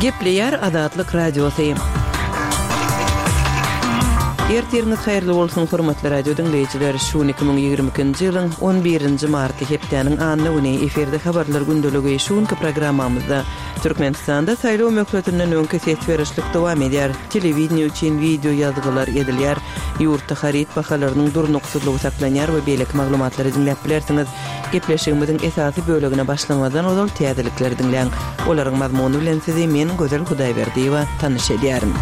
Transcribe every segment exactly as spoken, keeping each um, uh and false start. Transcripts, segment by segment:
Gepleýär Azatlyk Radiosy. Ertiriňiz haýyrly bolsun, hormatly radio diňleýjiler. Şu gün iki müň ýigrimi ikinji ýylyň on birinji marty, hepdäniň anna güni, efirde habarlar gündeligi. Şu günki programmamyzda Türkmenistanda saýlaw möhletinden öňki ses berişlik dowam edýär. Telewideniýe üçin wideo ýazgylar edilýär. Ýurtda haryt bahalarynyň durnuksyzlygy saklanýar we beýleki maglumatlary diňläp bilersiňiz. Gepleşigimiziň esasy bölegine başlamazdan ozal täzelikleri diňläň. Olaryň mazmuny bilen sizi men Gözel Hudaýberdiýewa tanyş edýärin.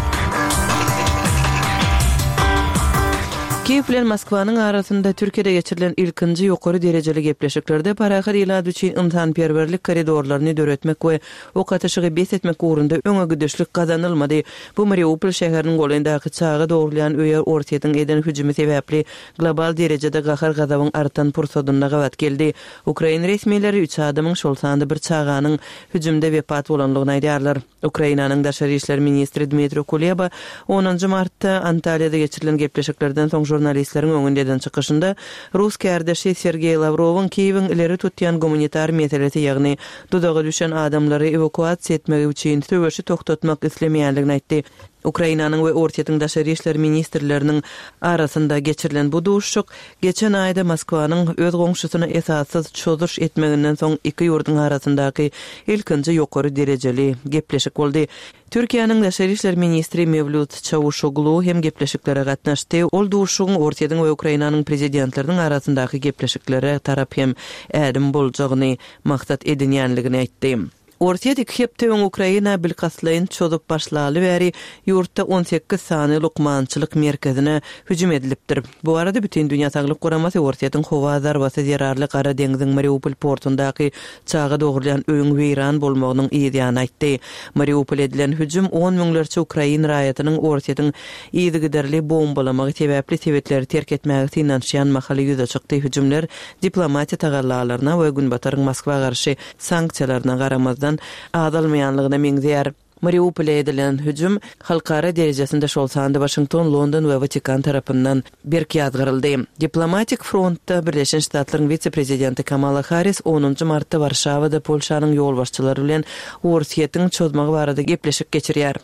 Kiýew bilen Moskwanyň arasynda Türkiýede geçirilen ilkinji ýokary derejeli gepleşiklerde parahat ilat üçin ynsanperwerlik koridorlaryny döretmek we ok atyşygy bes etmek ugrunda öňe gidişlik gazanylmady. Bu Mariupol şäheriniň golaýyndaky çaga dogrulýan öýe Orsýetiň eden hüjümi sebäpli global derejede gahar-gazabyň artan pursadynda gabat geldi. Ukrain resmileri üç adamyň, şol sanda bir çaganyň hüjümde wepat bolandygyny aýdýarlar. Ukrainanyň daşary işler ministri Dmitro Kuleba onunjy martda Antalýada geçirilen gepleşiklerden soň žurnalistleriň öňünde eden çykyşynda rus kärdeşi Sergeý Lawrowyň Kiýewiň ileri tutýan gumanitar meselesi, ýagny duzaga düşen adamlary ewakuasiýa etmegi üçin söweşi togtatmak islemeýändigini aýtdy. Ukrainanyň we Orsýetiň daşary işler ministrleriniň arasynda geçirilen bu duşuşyk geçen aýda Moskwanyň öz goňşusyna esassyz çozuş etmeginden soň iki ýurduň arasyndaky ilkinji ýokary derejeli gepleşik boldy. Türkiýäniň daşary işler ministri Mewlüt Çawuşoglu hem gepleşiklere gatnaşdy. Ol duşuşygyň Orsýetiň we Ukrainanyň prezidentleriniň arasyndaky gepleşiklere tarap hem ädim boljagyny maksat edinýänligini aýtdy. Orsýet iki hepde öň Ukraina bilkastlaýyn çozup başlaly bäri ýurtda on sekiz sany lukmançylyk merkezine hüjüm edilipdir. Bu barada Bütindünýä Saglyk Guramasy Orsýetiň howa zarbasy zerarly Gara deňziň Mariupol portundaky çaga dogrulýan öýüň weýran bolmagynyň yz ýany aýtdy. Mariupol edilen hüjüm on müňlerçe ukrain raýatynyň Orsýetiň yzygiderli bombalamagy sebäpli sebitleri terk etmäge synanyşýan mahaly ýüze çykdy. Hüjümler diplomatiýa tagallalaryna we Günbataryň Moskwa garşy sanksiýalaryna garamazdan azalmaýanlygyna meňzeýär. Mariupol'a edilen hüjüm halkara derejesinde şol sanda Waşington, London we Watikan tarapyndan berk ýazgaryldy. Diplomatik frontda Birleşen Ştatlaryň wise-prezidenti Kamala Harris onunjy martda Warşawada Polşanyň ýolbaşçylary bilen Orsýetiň çozmagy barada gepleşik geçirýär.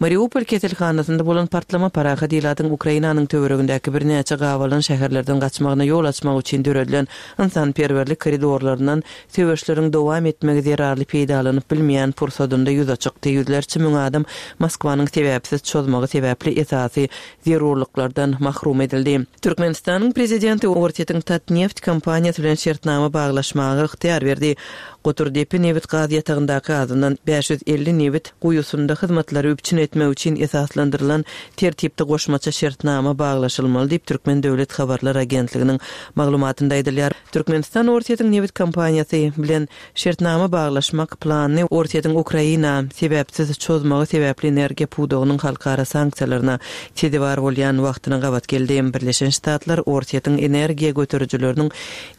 Mariupol keselhanasynda bolan partlama parahat ilatyň Ukrainanyň töweregindäki birnäçe gabalan şäherlerden gaçmagyna ýol açmak üçin döredilen ynsanperwerlik koridorlaryndan söweşleriň dowam etmegi zerarly peýdalanyp bilmeýän pursadynda ýüze çykdy. Ýüzlerçe müň adam Moskwanyň sebäpsiz çozmagy sebäpli esasy zerurlyklardan mahrum edildi. Türkmenistanyň prezidenti Orsýetiň Tatneft kompaniýasy bilen şertnama baglaşmaga ygtyýar berdi. Goturdepe nebit gaz ýatagyndaky azyndan bäş ýüz elli nebit guýusynda hyzmatlary üpjün etmek üçin esaslandyrylan tertipde goşmaça şertnama baglaşylmaly diýip Türkmen Döwlet Habarlar Agentliginiň maglumatynda aýdylýar. Türkmenistan Orsýetiň nebit kompaniýasy bilen şertnama baglaşmak planyny Orsýetiň Ukraina sebäpsiz çozmagy sebäpli energiýa pudagynyň halkara sanksiýalaryna sezewar bolýan wagtyna gabat geldi. Birleşen Ştatlar Orsýetiň energiýa göterijileriniň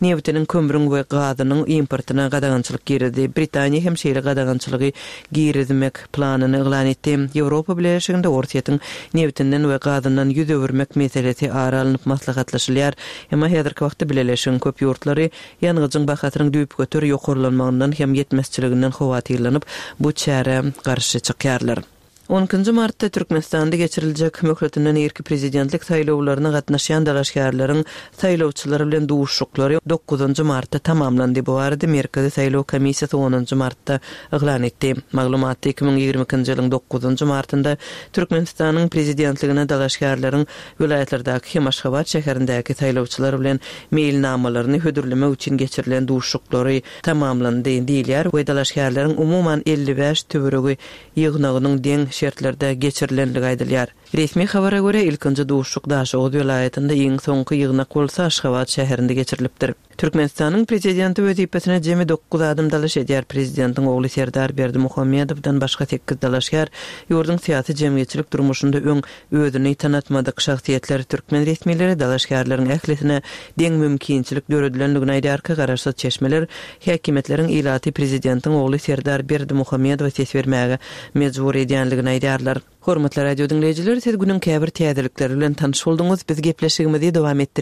nebitiniň, kömrüň we gazynyň importyna gadagançylyk girizdi. Britaniýa hem şeýle gadagançylygy girizmek planyny yglan etdi. Ýewropa Bileleşiginde Orsýetiň nebitinden we gazyndan ýüz öwürmek meselesi ara alnyp maslahatlaşylýar. Emma häzirki wagtda Bileleşigiň köp ýurtlary ýangyjyň bahasynyň düýpgöter ýokarlanmagyndan hem ýetmezçiliginden howatyrlanyp, bu çärä garşy çykýarlar. On ikinji martda Türkmenistanda geçiriljek möhletinden irki prezidentlik saýlawlaryna gatnaşýan dalaşgärleriň saýlawçylary bilen duşuşyklary dokuzynjy martda tamamlandy. Bu barada Merkezi saýlaw komissiýasy onunjy martda yglan etdi. Maglumatda iki müň ýigrimi ikinji ýylyň dokuzynjy martynda Türkmenistanyň prezidentligine dalaşgärleriň welaýatlardaky hem Aşgabat şäherindäki saýlawçylar bilen meýilnamalaryny hödürlemek üçin geçirilen duşuşyklary tamamlandy diýilýär we dalaşgärleriň umuman elli bäş töweregi ýygnagynyň deň şertlerde geçirilenligi aýdylýar. Resmi habara görä, ilkinji duşuşyk Daşoguz welaýatynda, iň soňky ýygnak bolsa Aşgabat şäherinde geçirilipdir. Türkmenistanyň prezidenti wezipesine jemi dokuz adam dalaş edýär. Prezidentiň ogly Serdar Berdimuhamedowdan başga sekiz dalaşgär ýurduň syýasy-jemgyýetçilik durmuşynda öň özüni tanatmadyk şahsyýetler. Türkmen resmileri dalaşgärleriň ählisine deň mümkinçilik döredilendigini aýdýarka, garaşsyz çeşmeler häkimiýetleriň ilaty prezidentiň ogly Serdar Berdimuhamedowa ses bermäge mejbur edýänligini aýdýarlar. Hormatly radio diňleýjiler, siz günüň käbir täzelikleri bilen tanyş bolduňyz. Biz gepleşigimizi dowam etdirýäris.